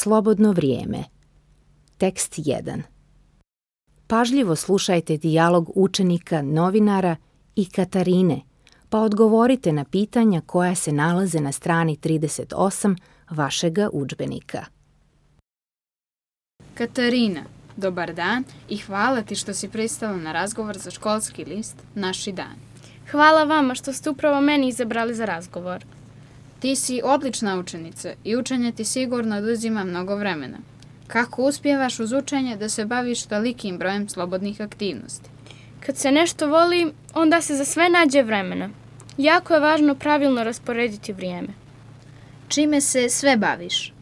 Slobodno vrijeme. Tekst 1. Pažljivo slušajte dijalog učenika, novinara i Katarine, pa odgovorite na pitanja koja se nalaze na strani 38 vašega udžbenika. Katarina, dobar dan i hvala ti što si pristala na razgovor za školski list Naši dani. Hvala vama što ste upravo meni izabrali za razgovor. Ti si odlična učenica i učenje ti sigurno oduzima mnogo vremena. Kako uspijevaš uz učenje da se baviš tolikim brojem slobodnih aktivnosti? Kad se nešto voli, onda se za sve nađe vremena. Jako je važno pravilno rasporediti vrijeme. Čime se sve baviš?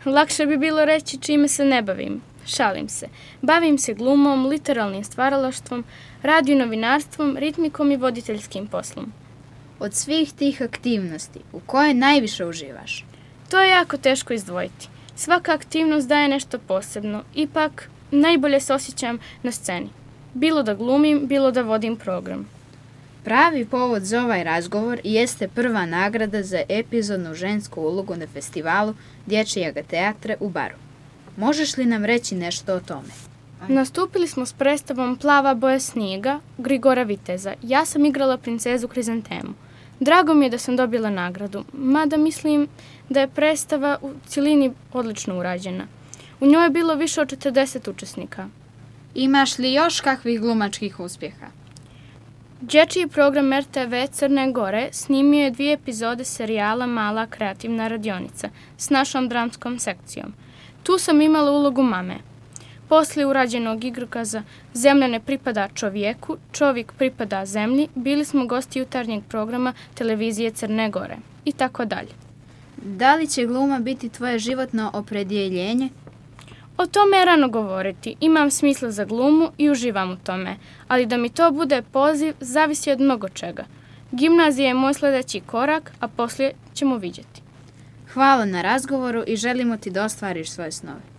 Lakše bi bilo reći čime se ne bavim. Šalim se. Bavim se glumom, literalnim stvaralaštvom, radio novinarstvom, ritmikom i voditeljskim poslom. Od svih tih aktivnosti, u kojoj najviše uživaš? To je jako teško izdvojiti. Svaka aktivnost daje nešto posebno. Ipak, najbolje se osjećam na sceni. Bilo da glumim, bilo da vodim program. Pravi povod za ovaj razgovor jeste prva nagrada za epizodnu žensku ulogu na festivalu Dječjeg teatra u Baru. Možeš li nam reći nešto o tome? Nastupili smo s predstavom Plava boja snijega Grigora Viteza. Ja sam igrala princezu Krizantemu. Drago mi je da sam dobila nagradu, mada mislim da je predstava u cjelini odlično urađena. U njoj je bilo više od 40 učesnika. Imaš li još kakvih glumačkih uspjeha? Dječji program RTV Crne Gore snimio je 2 epizode serijala Mala kreativna radionica s našom dramskom sekcijom. Tu sam imala ulogu mame. Poslije urađenog igrokaza Zemlja ne pripada čovjeku, čovjek pripada zemlji, bili smo gosti jutarnjeg programa televizije Crne Gore i tako dalje. Da li će gluma biti tvoje životno opredjeljenje? O tome je rano govoriti. Imam smisla za glumu i uživam u tome, ali da mi to bude poziv zavisi od mnogo čega. Gimnazija je moj sljedeći korak, a poslije ćemo vidjeti. Hvala na razgovoru i želimo ti da ostvariš svoje snove.